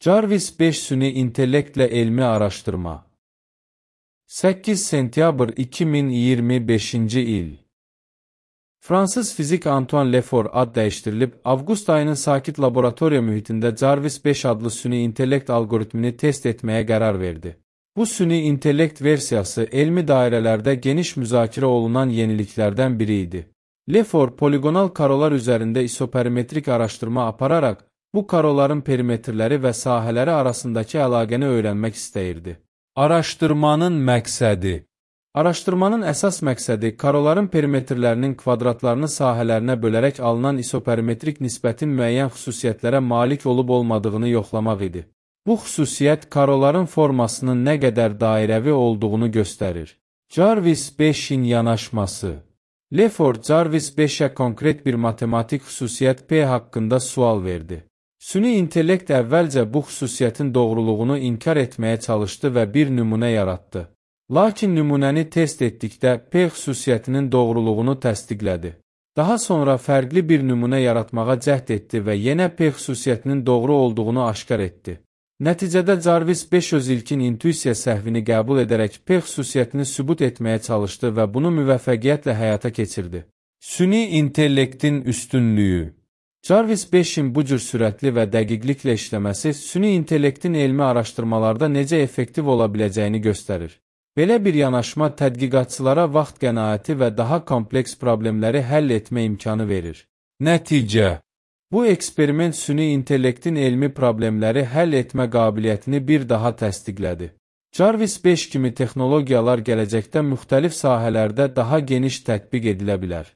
Jarvis 5 süni intellektlə elmi araşdırma. 8 sentyabr 2025-ci il. Fransız fizik Antoine Lefort ad dəyişdirilib, avqust ayının sakit laboratoriya mühitində Jarvis 5 adlı süni intellekt algoritmini test etməyə qərar verdi. Bu süni intellekt versiyası elmi dairələrdə geniş müzakirə olunan yeniliklərdən biri idi. Lefort poligonal karolar üzərində isoperimetrik araşdırma apararaq, bu karoların perimetrləri və sahələri arasındakı əlaqəni öyrənmək istəyirdi. Araşdırmanın məqsədi. Araşdırmanın əsas məqsədi karoların perimetrlərinin kvadratlarını sahələrinə bölərək alınan isoperimetrik nisbətin müəyyən xüsusiyyətlərə malik olub-olmadığını yoxlamaq idi. Bu xüsusiyyət karoların formasının nə qədər dairəvi olduğunu göstərir. Jarvis 5-in yanaşması. Lefort Jarvis 5-ə konkret bir matematik xüsusiyyət P haqqında sual verdi. Süni intellekt əvvəlcə bu xüsusiyyətin doğruluğunu inkar etməyə çalışdı və bir nümunə yaratdı. Lakin nümunəni test etdikdə P xüsusiyyətinin doğruluğunu təsdiqlədi. Daha sonra fərqli bir nümunə yaratmağa cəhd etdi və yenə P xüsusiyyətinin doğru olduğunu aşkar etdi. Nəticədə Jarvis 5 öz ilkin intuisiya səhvini qəbul edərək P xüsusiyyətini sübut etməyə çalışdı və bunu müvəffəqiyyətlə həyata keçirdi. Süni intellektin üstünlüyü. Jarvis 5-in bu cür sürətli və dəqiqliklə işləməsi süni intellektin elmi araşdırmalarda necə effektiv ola biləcəyini göstərir. Belə bir yanaşma tədqiqatçılara vaxt qənaəti və daha kompleks problemləri həll etmə imkanı verir. Nəticə. Bu eksperiment süni intellektin elmi problemləri həll etmə qabiliyyətini bir daha təsdiqlədi. Jarvis 5 kimi texnologiyalar gələcəkdə müxtəlif sahələrdə daha geniş tətbiq edilə bilər.